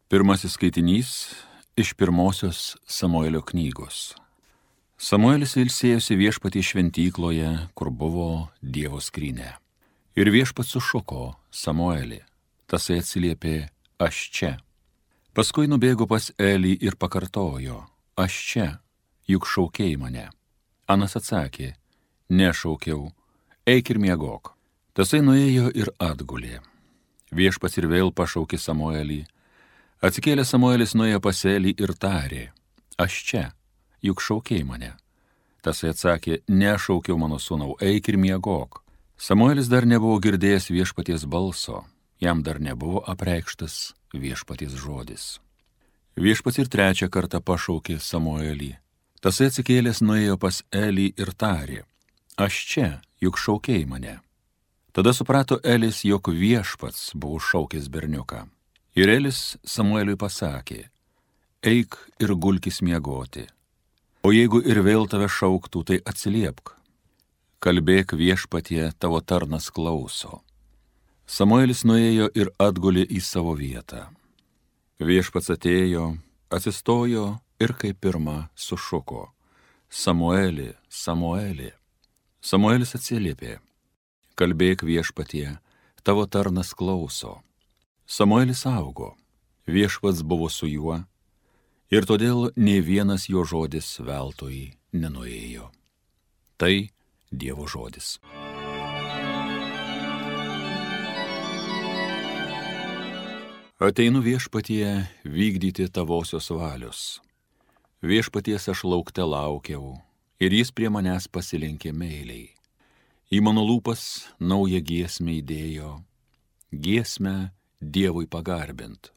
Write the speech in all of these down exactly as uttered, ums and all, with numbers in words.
Pirmasis skaitinys iš pirmosios Samuelio knygos. Samuelis ilsėjosi Viešpatie šventykloje, kur buvo Dievo skrynia. Ir Viešpats sušuko Samuelį. Tasai atsiliepė, aš čia. Paskui nubėgo pas Elį ir pakartojo, aš čia, juk šaukėjai mane. Anas atsakė, nešaukiau, eik ir miegok. Tasai nuėjo ir atgulė. Viešpats ir vėl pašaukė Samuelį. Atsikėlė Samuelis nuėjo pas Elį ir tarė, aš čia, juk šaukėjai mane. Tasai atsakė, nešaukiau mano sūnau, eik ir miegok. Samuelis dar nebuvo girdėjęs Viešpaties balso, jam dar nebuvo apreikštas Viešpaties žodis. Viešpats ir trečią kartą pašaukė Samuelį. Tasai atsikėlęs nuėjo pas Elį ir tarė, aš čia, juk šaukėjai mane. Tada suprato Elis, jog Viešpats buvo šaukęs berniuką. Ir Elis Samueliui pasakė, eik ir gulkis miegoti, o jeigu ir vėl tave šauktų, tai atsiliepk. Kalbėk Viešpatie, tavo tarnas klauso. Samuelis nuėjo ir atgulė į savo vietą. Viešpats atėjo, atsistojo ir kaip pirma sušuko, Samueli, Samueli. Samuelis atsiliepė, kalbėk Viešpatie, tavo tarnas klauso. Samuelis augo, Viešpats buvo su juo, ir todėl nė vienas jo žodis veltui nenuėjo. Tai Dievo žodis. Ateinu Viešpatie vykdyti tavosios valios. Viešpaties aš laukte laukiau, ir jis prie manęs pasilenkė meiliai. Į mano lūpas naują giesmę įdėjo, giesmę Dievui pagarbint.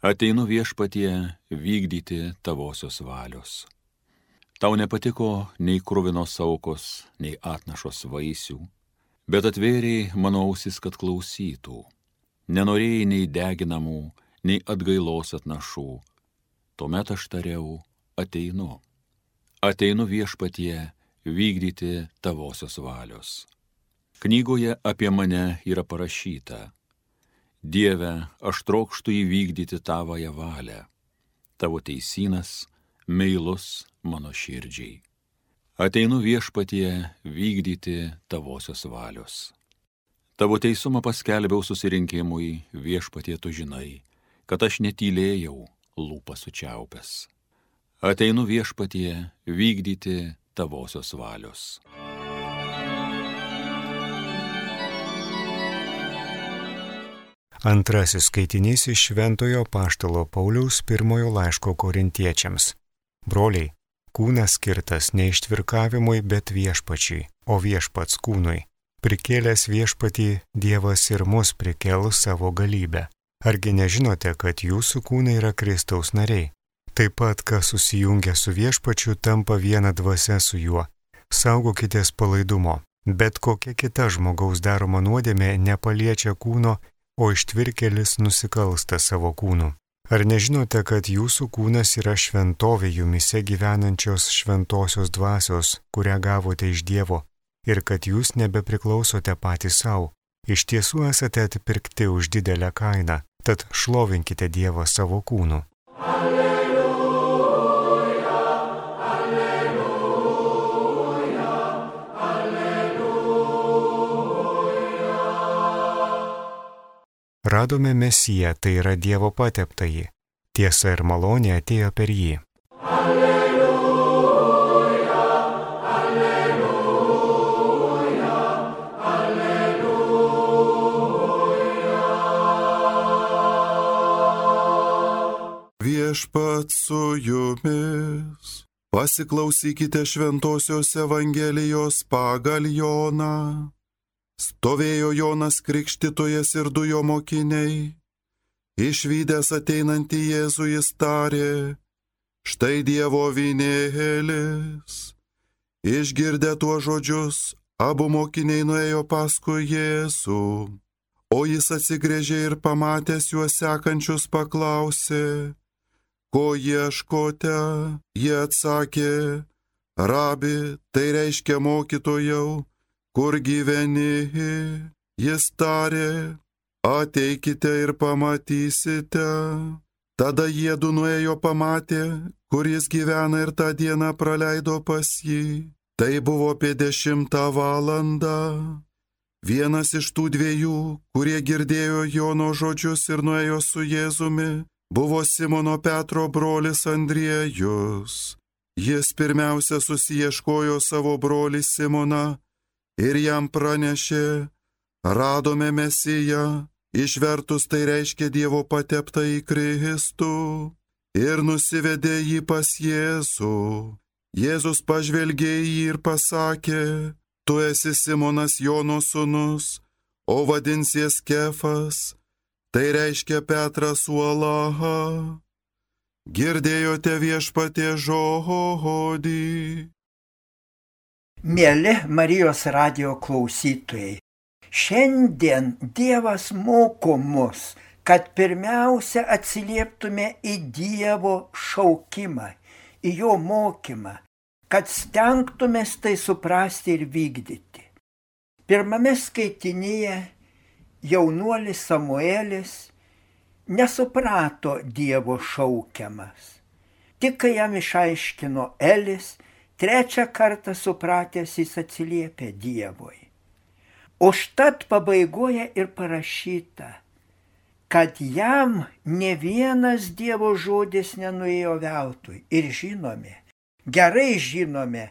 Ateinu Viešpatie vykdyti tavosios valios. Tau nepatiko nei kruvinos aukos, nei atnašos vaisių, bet atvėrėjai mano ausis, kad klausytų. Nenorėjai nei deginamų, nei atgailos atnašų. Tuomet aš tariau, ateinu. Ateinu Viešpatie vykdyti tavosios valios. Knygoje apie mane yra parašyta, Dieve, aš trokštu įvykdyti tavąją valią. Tavo teisynas, meilus mano širdžiai. Ateinu Viešpatie vykdyti tavosios valios. Tavo teisumą paskelbiau susirinkimui, Viešpatie tu žinai, kad aš netylėjau lūpą sučiaupęs. Ateinu Viešpatie vykdyti tavosios valios. Antrasis skaitinys iš Šventojo Apaštalo Pauliaus pirmojo laiško Korintiečiams. Broliai, kūnas skirtas ne ištvirkavimui, bet Viešpačiui, o Viešpats kūnui. Prikėlęs Viešpatį Dievas ir mus prikels savo galybę. Argi nežinote, kad jūsų kūnai yra Kristaus nariai? Taip pat, kas susijungia su Viešpačiu, tampa viena dvasia su juo. Saugokitės palaidumo, bet kokia kita žmogaus daroma nuodėmė nepaliečia kūno, o ištvirkėlis nusikalsta savo kūnu. Ar nežinote, kad jūsų kūnas yra šventovė jumise gyvenančios šventosios dvasios, kurią gavote iš Dievo, ir kad jūs nebepriklausote patys savo? Iš tiesų esate atpirkti už didelę kainą, tad šlovinkite Dievą savo kūnu. Radome Mesiją, tai yra Dievo pateptąjį. Tiesa ir malonė atėjo per jį. Alleluja, alleluja, alleluja. Viešpats su jumis. Pasiklausykite šventosios Evangelijos pagal Joną. Stovėjo Jonas Krikštytojas ir du jo mokiniai. Išvydęs ateinantį Jėzų jis tarė, štai Dievo avinėlis. Išgirdę tuos žodžius, abu mokiniai nuėjo paskui Jėzų. O jis atsigręžė ir pamatęs juos sekančius paklausė, ko ieškote? Jie atsakė, rabi, tai reiškia mokytojau, kur gyveni? Jis tarė, ateikite ir pamatysite. Tada jiedu nuėjo pamatė, kur jis gyvena ir tą dieną praleido pas jį. Tai buvo apie dešimtą valandą. Vienas iš tų dviejų, kurie girdėjo Jono žodžius ir nuėjo su Jėzumi, buvo Simono Petro brolis Andriejus. Jis pirmiausia susiieškojo savo brolį Simoną ir jam pranešė: radome Mesiją, išvertus tai reiškia Dievo pateptą į Kristų, ir nusivedė jį pas Jėzų. Jėzus pažvelgė į jį ir pasakė: tu esi Simonas Jono sūnus, o vadinsies Kefas, tai reiškia Petras uola. Girdėjote Viešpaties žodį. Mieli Marijos radijo klausytojai, šiandien Dievas moko mus, kad pirmiausia atsilieptume į Dievo šaukimą, į jo mokymą, kad stengtumės tai suprasti ir vykdyti. Pirmame skaitinyje jaunuolis Samuelis nesuprato Dievo šaukiamas. Tik kai jam išaiškino Elis, trečią kartą supratęs jis atsiliepė Dievui. Užtat pabaigoje ir parašyta, kad jam ne vienas Dievo žodis nenuėjo veltui. Ir žinome, gerai žinome,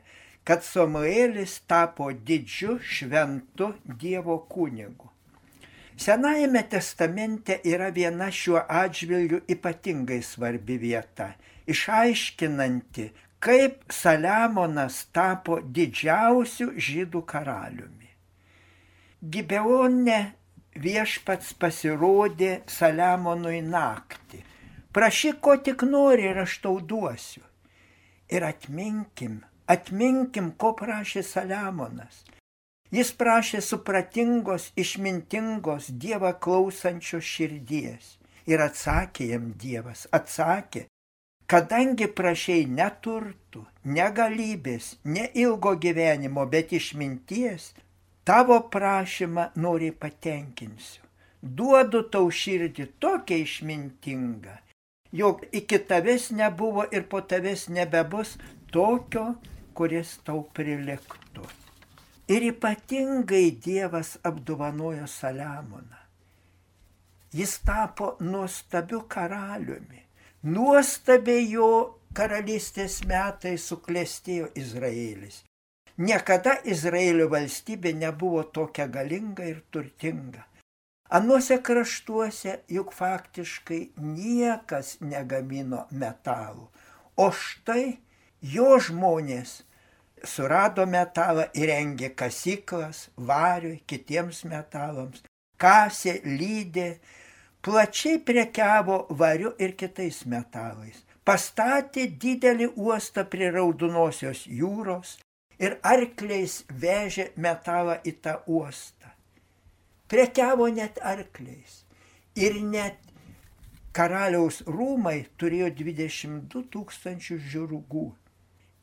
kad Samuelis tapo didžiu šventu Dievo kunigu. Senajame testamente yra viena šiuo atžvilgiu ypatingai svarbi vieta, išaiškinanti, kaip Saliamonas tapo didžiausiu žydų karaliumi. Gibeone Viešpats pasirodė Saliamonui naktį. Prašyk, ko tik nori, ir aš tau duosiu. Ir atminkim, atminkim, ko prašė Saliamonas. Jis prašė supratingos, išmintingos, Dievą klausančios širdies. Ir atsakė jam Dievas, atsakė: kadangi prašei ne turtų, ne galybės, ne ilgo gyvenimo, bet išminties, tavo prašymą noriai patenkinsiu. Duodu tau širdį tokią išmintingą, jog iki tavęs nebuvo ir po tavęs nebebus tokio, kuris tau priliktų. Ir ypatingai Dievas apdovanojo Saliamoną. Jis tapo nuostabiu karaliumi. Nuostabiai jo karalystės metais suklestėjo Izraelis. Niekada Izraelio valstybė nebuvo tokia galinga ir turtinga. Anuose kraštuose juk faktiškai niekas negamino metalų. O štai jo žmonės surado metalą, įrengė kasyklas variui, kitiems metalams, kasė, lydė, plačiai prekiavo variu ir kitais metalais. Pastatė didelį uostą prie Raudonosios jūros ir arkliais vežė metalą į tą uostą. Prekiavo net arkliais. Ir net karaliaus rūmai turėjo dvidešimt du tūkstančius žirgų.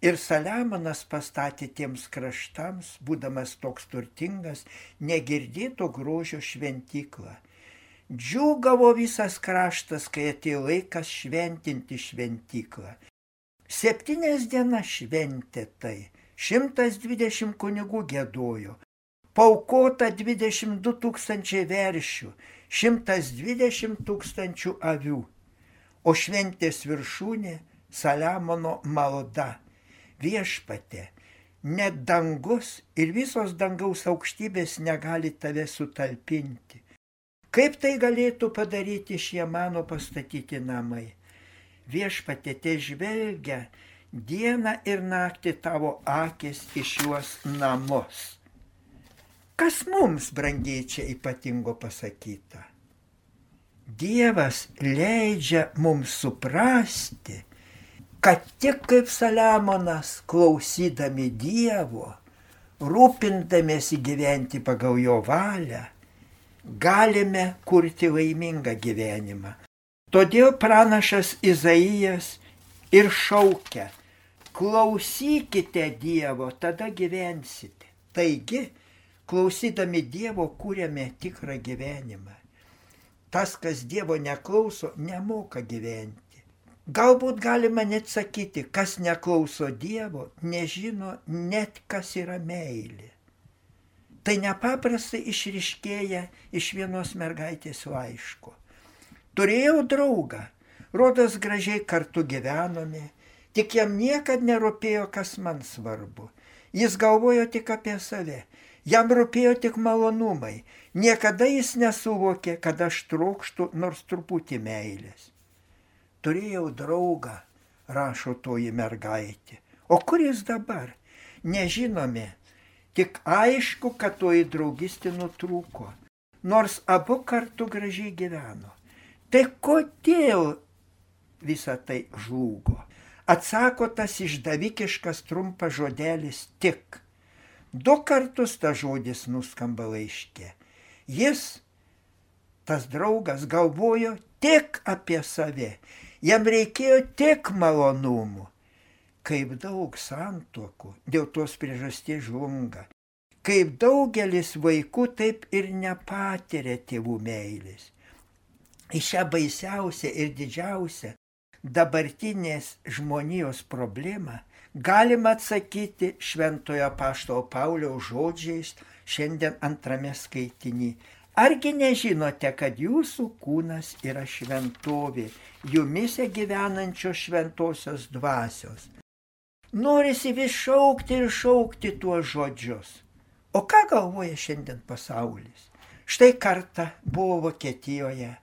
Ir Saliamonas pastatė tiems kraštams, būdamas toks turtingas, negirdėto grožio šventyklą. Džiūgavo visas kraštas, kai atėjo laikas šventinti šventyklą. Septynias dienas šventė tai, šimtas dvidešimt kunigų giedojo, paaukota dvidešimt du tūkstančiai veršių, šimtas dvidešimt tūkstančių avių, o šventės viršūnė Saliamono malda. Viešpatie, net dangus ir visos dangaus aukštybės negali tave sutalpinti. Kaip tai galėtų padaryti šie mano pastatyti namai? Viešpatie, te žvelgia dieną ir naktį tavo akis į šiuos namus. Kas mums, brangiai, čia ypatingo pasakyta? Dievas leidžia mums suprasti, kad tik kaip Saliamonas, klausydami Dievo, rūpindamiesi gyventi pagal jo valią, galime kurti laimingą gyvenimą. Todėl pranašas Izaijas ir šaukia: klausykite Dievo, tada gyvensite. Taigi, klausydami Dievo kūrėme tikrą gyvenimą. tas, kas Dievo neklauso, nemoka gyventi. Galbūt galima net sakyti, kas neklauso Dievo, nežino net, kas yra meilė. Tai nepaprastai išryškėja iš vienos mergaitės laiško. Turėjau draugą, rodos gražiai kartu gyvenome, tik jam niekad nerūpėjo, kas man svarbu. Jis galvojo tik apie save, jam rūpėjo tik malonumai, niekada jis nesuvokė, kad aš trokštų nors truputį meilės. Turėjau draugą, rašo toji mergaitė, o kur jis dabar? Nežinome, tik aišku, kad toji draugystė nutrūko, nors abu kartu gražiai gyveno. Tai kodėl visa tai žlugo? Atsako tas išdavikiškas trumpas žodelis tik. Du kartus tas žodis nuskamba laiške. Jis, tas draugas, galvojo tik apie save. Jam reikėjo tik malonumų. Kaip daug santuokų dėl tos priežasties žlunga. Kaip daugelis vaikų taip ir nepatiria tėvų meilės. Į šią baisiausią ir didžiausią dabartinės žmonijos problemą galima atsakyti šventojo apaštalo Pauliaus žodžiais šiandien antrame skaitiny. Argi nežinote, kad jūsų kūnas yra šventovė, jumise gyvenančios šventosios dvasios? Norisi vis šaukti ir šaukti tuos žodžius. O ką galvoja šiandien pasaulis? Štai kartą buvo Vokietijoje,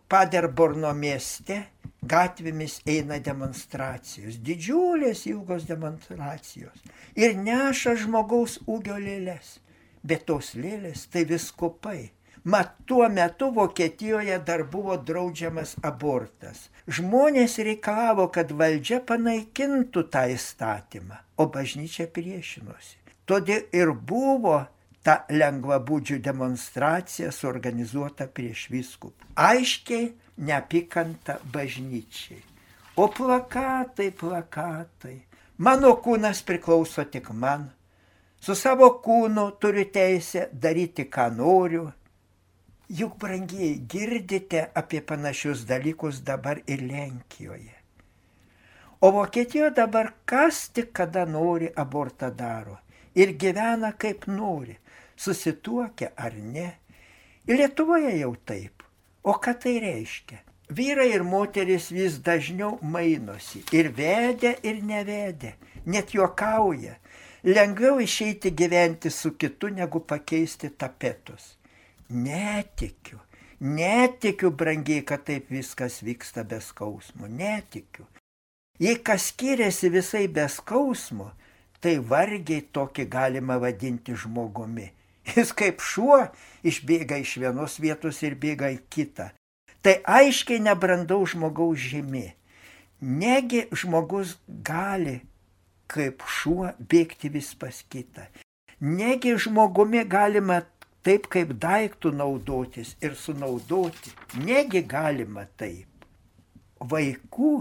Paderborno mieste, gatvėmis eina demonstracijos, didžiulės ilgos demonstracijos ir neša žmogaus ūgio lėles, bet tos lėlės tai vyskupai. Mat tuo metu Vokietijoje dar buvo draudžiamas abortas. Žmonės reikalavo, kad valdžia panaikintų tą įstatymą, o bažnyčia priešinosi. Todėl ir buvo ta lengvabūdžių demonstracija suorganizuota prieš vyskupą. Aiškiai neapykanta bažnyčiai. O plakatai, plakatai. Mano kūnas priklauso tik man. Su savo kūnu turiu teisę daryti, ką noriu. Juk, brangieji, girdite apie panašius dalykus dabar ir Lenkijoje. O Vokietijoje dabar kas tik kada nori abortą daro ir gyvena kaip nori, susituokia ar ne. Ir Lietuvoje jau taip. O ką tai reiškia? Vyrai ir moteris vis dažniau mainosi ir vedė, ir nevedė, net juokauja. Lengviau išeiti gyventi su kitu, negu pakeisti tapetus. Netikiu, netikiu, brangiai, kad taip viskas vyksta be skausmo, netikiu. Jei kas skiriasi visai be skausmo, tai vargiai tokį galima vadinti žmogumi. Jis kaip šuo išbėga iš vienos vietos ir bėga į kitą. Tai aiškiai nebrandaus žmogaus žymė. Negi žmogus gali kaip šuo bėgti vis pas kitą. Negi žmogumi galima taip kaip daiktų naudotis ir sunaudoti. Negi galima taip. Vaikų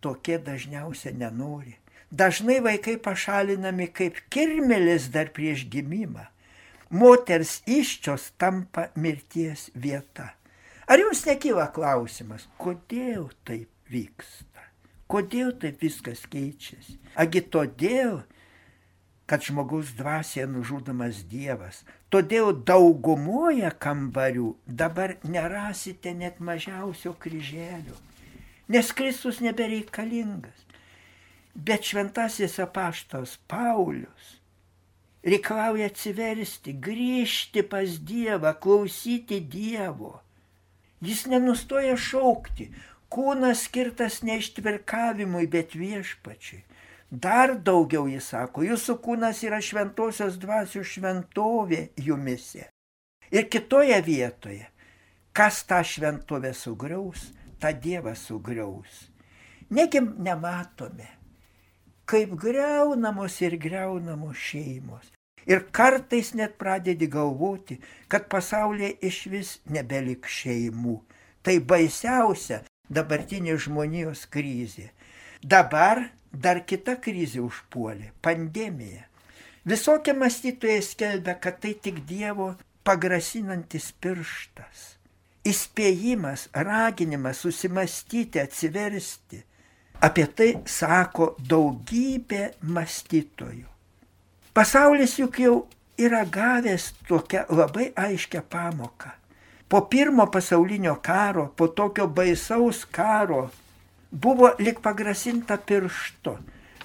tokie dažniausiai nenori. Dažnai vaikai pašalinami kaip kirmėlis dar prieš gimimą. Moters įsčios tampa mirties vieta. Ar jums nekyla klausimas, kodėl taip vyksta? Kodėl taip viskas keičiasi? Agi todėl, kad žmogaus dvasioje nužudomas Dievas. Todėl daugumoje kambarių dabar nerasite net mažiausio kryželio, nes Kristus nebereikalingas. Bet šventasis apaštalas Paulius reikalauja atsiversti, grįžti pas Dievą, klausyti Dievo. Jis nenustoja šaukti, kūnas skirtas ne ištvirkavimui, bet viešpačiui. Dar daugiau jis sako, jūsų kūnas yra šventosios dvasios šventovė jumise. Ir kitoje vietoje, kas tą šventovę sugriaus, tą Dievą sugriaus. Negi nematome, kaip griaunamos ir griaunamos šeimos. Ir kartais net pradedi galvoti, kad pasaulyje išvis nebelik šeimų. Tai baisiausia dabartinė žmonijos krizė. Dabar dar kita krizė užpuolė – pandemija. Visokie mąstytojai skelbia, kad tai tik Dievo pagrasinantis pirštas. įspėjimas, raginimas susimastyti, atsiversti. Apie tai sako daugybė mąstytojų. Pasaulis juk jau yra gavęs tokią labai aiškę pamoką. Po pirmo pasaulinio karo, po tokio baisaus karo, buvo lik pagrasinta pirštu.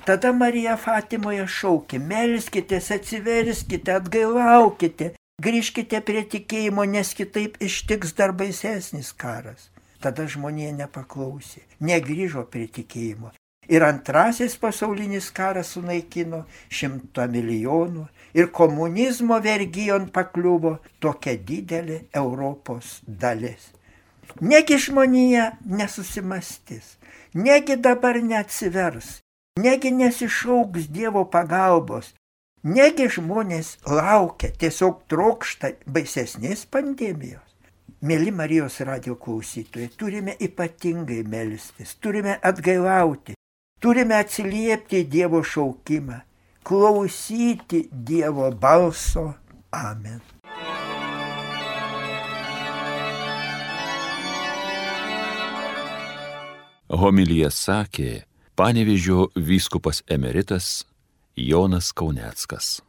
Tada Marija Fatimoje šaukė, melskitės, atsiverskite, atgailaukite, grįžkite prie tikėjimo, nes kitaip ištiks dar baisesnis karas. Tada žmonija nepaklausė, negrįžo prie tikėjimo. Ir antrasis pasaulinis karas sunaikino šimtą milijonų ir komunizmo vergijon pakliuvo tokia didelė Europos dalis. Negi žmonija nesusimastys, negi dabar neatsivers, negi nesišauks Dievo pagalbos, negi žmonės laukia, tiesiog trokšta baisesnės pandemijos. Mėly Marijos radijo klausytojai, turime ypatingai melstis, turime atgailauti, turime atsiliepti į Dievo šaukimą, klausyti Dievo balso. Amen. Homiliją sakė Panevėžio vyskupas emeritas Jonas Kauneckas.